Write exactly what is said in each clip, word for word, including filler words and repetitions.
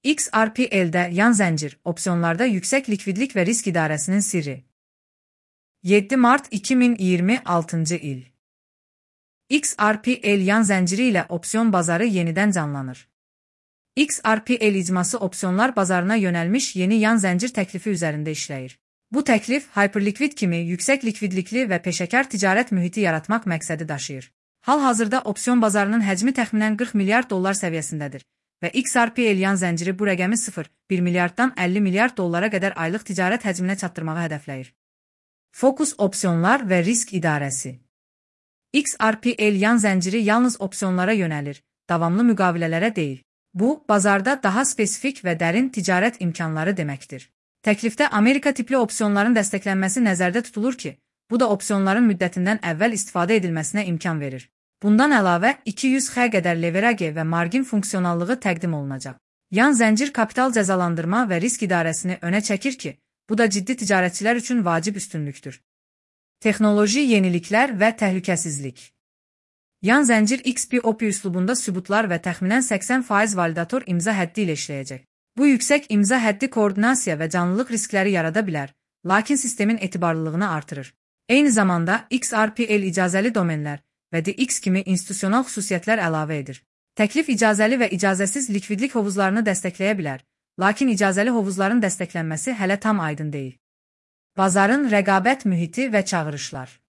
X R P L'də yan zəncir, opsiyonlarda yüksək likvidlik və risk idarəsinin sirri. yeddi mart iki min iyirmi altıncı il. X R P L yan zənciri ilə opsiyon bazarı yenidən canlanır. X R P L icması opsiyonlar bazarına yönəlmiş yeni yan zəncir təklifi üzərində işləyir. Bu təklif hyperlikvid kimi yüksək likvidlikli və peşəkar ticarət mühiti yaratmaq məqsədi daşıyır. Hal-hazırda opsiyon bazarının həcmi təxminən qırx milyard dollar səviyyəsindədir və X R P L yan zənciri bu rəqəmi sıfır nöqtə bir milyarddan əlli milyard dollara qədər aylıq ticarət həcminə çatdırmağı hədəfləyir. Fokus opsiyonlar və risk idarəsi. X R P L yan zənciri yalnız opsiyonlara yönəlir, davamlı müqavilələrə deyil. Bu, bazarda daha spesifik və dərin ticarət imkanları deməkdir. Təklifdə Amerika tipli opsiyonların dəstəklənməsi nəzərdə tutulur ki, bu da opsiyonların müddətindən əvvəl istifadə edilməsinə imkan verir. Bundan əlavə, iki yüz x qədər leverage və margin funksionallığı təqdim olunacaq. Yan zəncir kapital cəzalandırma və risk idarəsini önə çəkir ki, bu da ciddi ticarətçilər üçün vacib üstünlükdür. Texnoloji yeniliklər və təhlükəsizlik. Yan zəncir X P O P üslubunda sübutlar və təxminən səksən faiz validator imza həddi ilə işləyəcək. Bu yüksək imza həddi koordinasiya və canlılıq riskləri yarada bilər, lakin sistemin etibarlılığını artırır. Eyni zamanda X R P L icazəli domenlər və D X kimi institusional xüsusiyyətlər əlavə edir. Təklif icazəli və icazəsiz likvidlik hovuzlarını dəstəkləyə bilər, lakin icazəli hovuzların dəstəklənməsi hələ tam aydın deyil. Bazarın rəqabət mühiti və çağırışlar.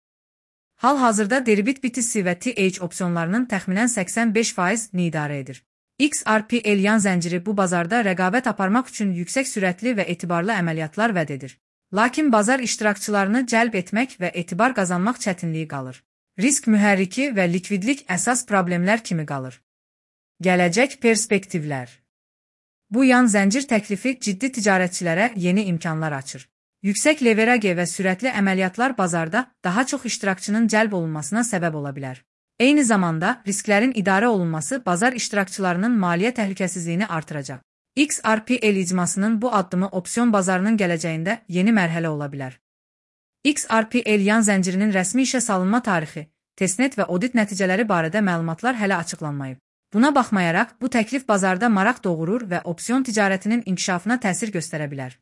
Hal-hazırda Deribit B T C və T H opsiyonlarının təxminən səksən beş faizini idarə edir. X R P L yan zənciri bu bazarda rəqabət aparmaq üçün yüksək sürətli və etibarlı əməliyyatlar vəd edir. Lakin bazar iştirakçılarını cəlb etmək və etibar qazanmaq çətinliyi qalır. Risk mühərriki və likvidlik əsas problemlər kimi qalır. Gələcək perspektivlər. Bu yan zəncir təklifi ciddi ticarətçilərə yeni imkanlar açır. Yüksək leverage və sürətli əməliyyatlar bazarda daha çox iştirakçının cəlb olunmasına səbəb ola bilər. Eyni zamanda risklərin idarə olunması bazar iştirakçılarının maliyyə təhlükəsizliyini artıracaq. X R P L icmasının bu addımı opsiyon bazarının gələcəyində yeni mərhələ ola bilər. X R P L yan zəncirinin rəsmi işə salınma tarixi, testnet və audit nəticələri barədə məlumatlar hələ açıqlanmayıb. Buna baxmayaraq, bu təklif bazarda maraq doğurur və opsiyon ticarətinin inkişafına təsir göstərə bilər.